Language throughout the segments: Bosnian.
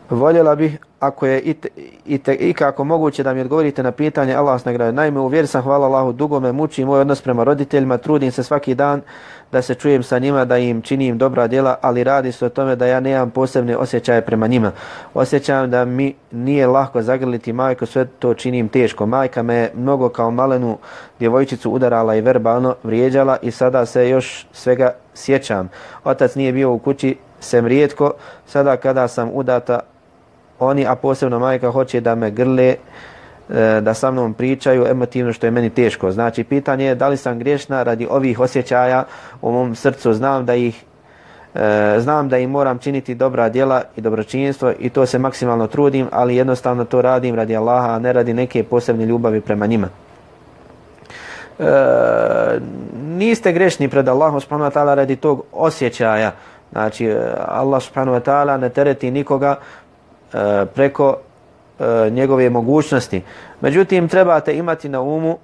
Voljela bih, ako je ikako moguće, da mi odgovorite na pitanje. Allah vas nagradio. Naime, u vjeri sam, hvala Allahu, dugo me muči moj odnos prema roditeljima, trudim se svaki dan da se čujem sa njima, da im činim dobra djela, ali radi se o tome da ja nemam posebne osjećaje prema njima. Osjećam da mi nije lako zagrliti majku, sve to činim teško. Majka me mnogo kao malenu djevojčicu udarala i verbalno vrijeđala i sada se još svega sjećam. Otac nije bio u kući, sem rijetko, sada kada sam udata, oni, a posebno majka, hoće da me grle, da sa mnom pričaju emotivno, što je meni teško. Znači, pitanje je da li sam griješna radi ovih osjećaja u mom srcu. Znam da im moram činiti dobra djela i dobročinstvo i to se maksimalno trudim, ali jednostavno to radim radi Allaha, a ne radi neke posebne ljubavi prema njima. Niste grešni pred Allahom subhanahu wa ta'ala radi tog osjećaja. Znači, Allah subhanahu wa ta'ala ne tereti nikoga preko njegove mogućnosti. Međutim, trebate imati na umu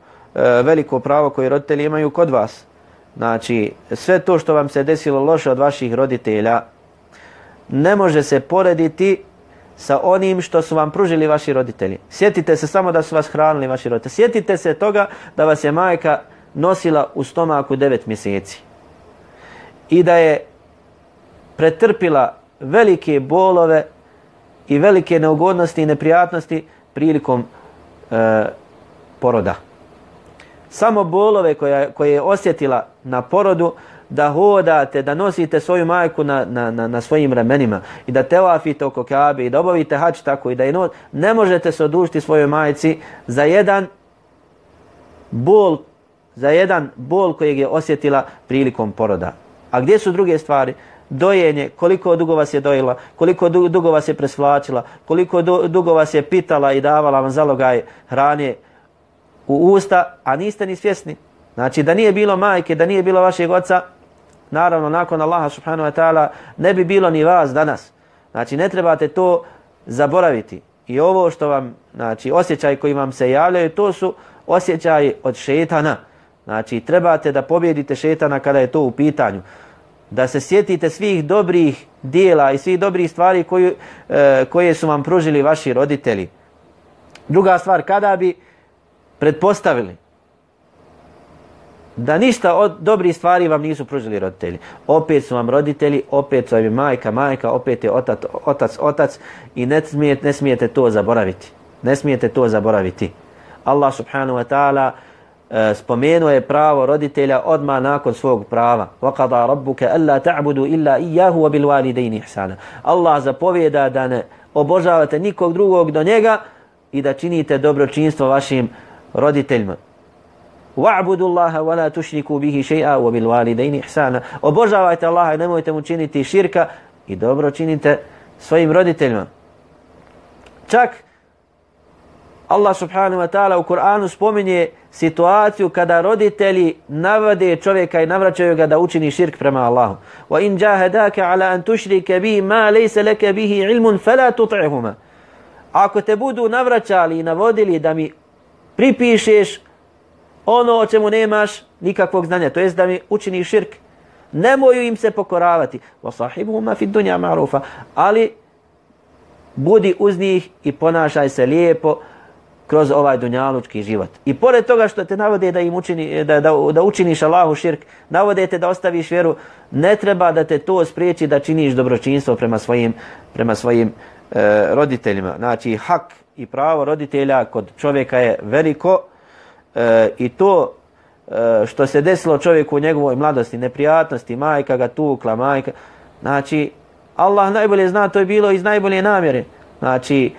veliko pravo koje roditelji imaju kod vas. Znači, sve to što vam se desilo loše od vaših roditelja ne može se porediti sa onim što su vam pružili vaši roditelji. Sjetite se samo da su vas hranili vaši roditelji. Sjetite se toga da vas je majka nosila u stomaku 9 mjeseci i da je pretrpila velike bolove i velike neugodnosti i neprijatnosti prilikom poroda. Samo bolove koje je osjetila na porodu, da hodate, da nosite svoju majku na svojim ramenima i da tevafite oko Kabe i da obavite hađ tako i da je ne možete se odužiti svojoj majci za jedan bol kojeg je osjetila prilikom poroda. A gdje su druge stvari? Dojenje, koliko dugo vas je dojela, koliko dugo vas je presvlačila, koliko dugo vas je pitala i davala vam zalogaj hrane u usta, a niste ni svjesni. Znači, da nije bilo majke, da nije bilo vašeg oca, naravno, nakon Allaha subhanahu wa ta'ala, ne bi bilo ni vas danas. Znači, ne trebate to zaboraviti. I ovo što vam, znači, osjećaji koji vam se javljaju, to su osjećaji od šejtana. Znači, trebate da pobjedite šejtana kada je to u pitanju. Da se sjetite svih dobrih dijela i svih dobrih stvari koje su vam pružili vaši roditelji. Druga stvar, kada bi pretpostavili da ništa od dobrih stvari vam nisu pružili roditelji, opet su vam roditelji, opet su vam majka, opet je otac i ne smijete to zaboraviti. Ne smijete to zaboraviti. Allah subhanahu wa ta'ala spomenuo je pravo roditelja odmah nakon svog prava. وَقَضَى رَبُّكَ أَلَّا تَعْبُدُوا إِلَّا إِيَّهُ وَبِالْوَالِدَيْنِ إِحْسَانًا. Allah zapovjeda da ne obožavate nikog drugog do njega i da činite dobročinstvo vašim roditeljima. وَعْبُدُوا اللَّهَ وَلَا تُشْرِكُوا بِهِ شَيْئًا وَبِالْوَالِدَيْنِ إِحْسَانًا. Obožavajte Allaha i nemojte mu činiti širka i dobro činite svojim roditeljima. Čak Allah subhanahu wa ta'ala u Kur'anu spominje situaciju kada roditelji navode čovjeka i navraćaju ga da učini širk prema Allahu. وَإِنْ جَاهَدَاكَ عَلَىٰ أَنْ تُشْرِكَ بِهِ مَا لَيْسَ لَكَ بِهِ عِلْمٌ فَلَا تُطِعْهُمَا. Ako te budu navraćali i navodili da mi pripišeš ono o čemu nemaš nikakvog znanja, to jest da mi učiniš širk, nemoj im se pokoravati. وَصَاحِبُهُمَا فِي الدُّنْيَا مَعْرُوفًا. Ali budi uz njih i ponašaj se lijepo kroz ovaj dunjalučki život. I pored toga što te navode da im da učiniš Allahu širk, navode te da ostaviš vjeru, ne treba da te to spriječi da činiš dobročinstvo prema svojim roditeljima. Znači, hak i pravo roditelja kod čovjeka je veliko i to što se desilo čovjeku u njegovoj mladosti, neprijatnosti, majka ga tukla, znači, Allah najbolje zna, to je bilo iz najbolje namjere. Znači,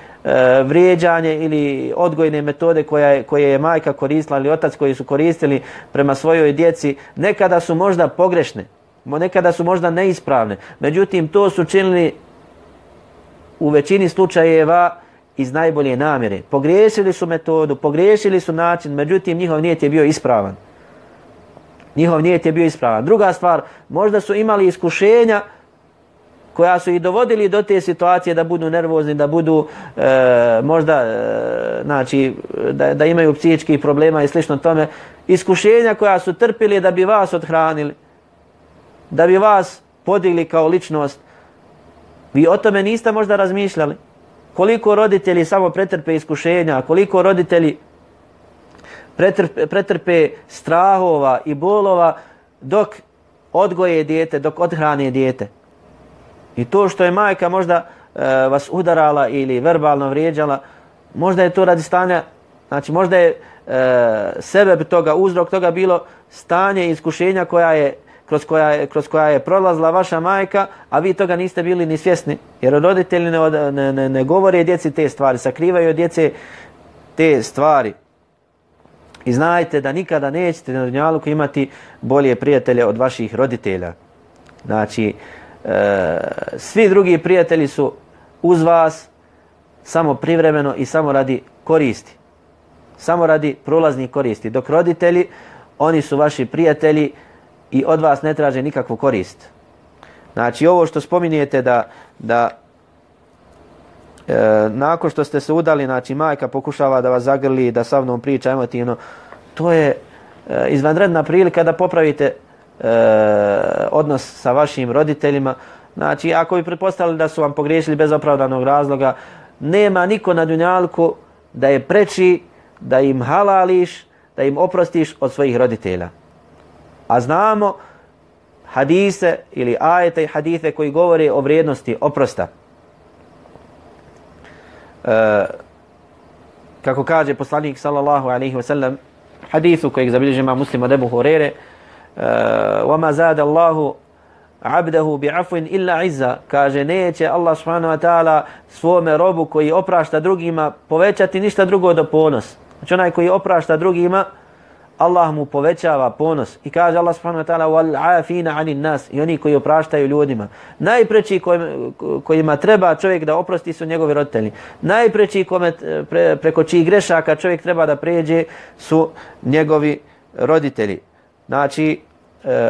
vrijeđanje ili odgojne metode koje je majka koristila ili otac koji su koristili prema svojoj djeci, nekada su možda pogrešne, nekada su možda neispravne. Međutim, to su činili u većini slučajeva iz najbolje namjere. Pogriješili su metodu, pogriješili su način, međutim, njihov nijet je bio ispravan. Druga stvar, možda su imali iskušenja koja su ih dovodili do te situacije da budu nervozni, da budu znači, da imaju psihičkih problema i slično tome. Iskušenja koja su trpili da bi vas othranili, da bi vas podigli kao ličnost. Vi o tome niste možda razmišljali. koliko roditelji samo pretrpe iskušenja, koliko roditelji pretrpe strahova i bolova dok odgoje dijete, dok odhrane dijete. I to što je majka možda vas udarala ili verbalno vrijeđala, možda je to radi stanja, znači možda je sebe toga, uzrok toga bilo stanje iskušenja kroz koja je prolazila vaša majka, a vi toga niste bili ni svjesni. Jer roditelji ne govore djeci te stvari, sakrivaju od djece te stvari. I znajte da nikada nećete na dunjaluku imati bolje prijatelje od vaših roditelja. Znači, svi drugi prijatelji su uz vas samo privremeno i samo radi koristi. Samo radi prolaznih koristi. Dok roditelji, oni su vaši prijatelji i od vas ne traže nikakvu korist. Znači, ovo što spominjete da nakon što ste se udali, znači majka pokušava da vas zagrli, da sa mnom priča emotivno, to je izvanredna prilika da popravite odnos sa vašim roditeljima. Znači, ako bi pretpostavili da su vam pogriješili bez opravdanog razloga, nema niko na dunjalku da je preči da im halališ, da im oprostiš od svojih roditelja. A znamo hadise ili ajete i hadise koji govore o vrijednosti oprosta. Kako kaže poslanik sallallahu alejhi ve sellem, hadisu kojeg zabilježi Imam Muslim od Ebu Hurere, وَمَا زَادَ اللَّهُ عَبْدَهُ بِعَفْوٍ إِلَّا عِزَّا, kaže neće Allah subhanahu wa ta'ala svome robu koji oprašta drugima povećati ništa drugo do ponos. Znači onaj koji oprašta drugima, Allah mu povećava ponos. I kaže Allah subhanahu wa ta'ala وَالْعَافِينَ عَنِ النَّاسِ, i oni koji opraštaju ljudima. Najpreći kojima treba čovjek da oprosti su njegovi roditelji. Najpreći preko čijih grešaka čovjek treba da pređe su njegovi roditelji. Znači,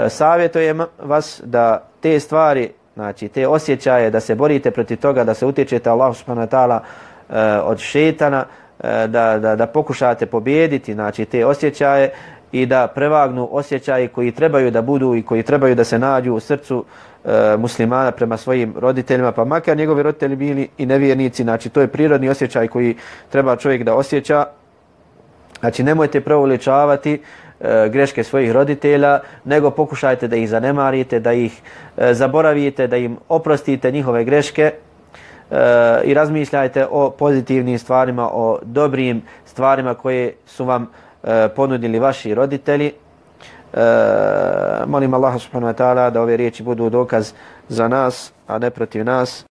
savjetujem vas da te stvari, znači te osjećaje, da se borite protiv toga, da se utječete Allahu subhanahu wa ta'ala od šetana, da pokušate pobijediti, znači te osjećaje i da prevagnu osjećaje koji trebaju da budu i koji trebaju da se nađu u srcu muslimana prema svojim roditeljima, pa makar njegovi roditelji bili i nevjernici. Znači, to je prirodni osjećaj koji treba čovjek da osjeća. Znači, nemojte preuveličavati greške svojih roditelja, nego pokušajte da ih zanemarite, da ih zaboravite, da im oprostite njihove greške i razmišljajte o pozitivnim stvarima, o dobrim stvarima koje su vam ponudili vaši roditelji. Molim Allaha subhanahu wa ta'ala da ove riječi budu dokaz za nas, a ne protiv nas.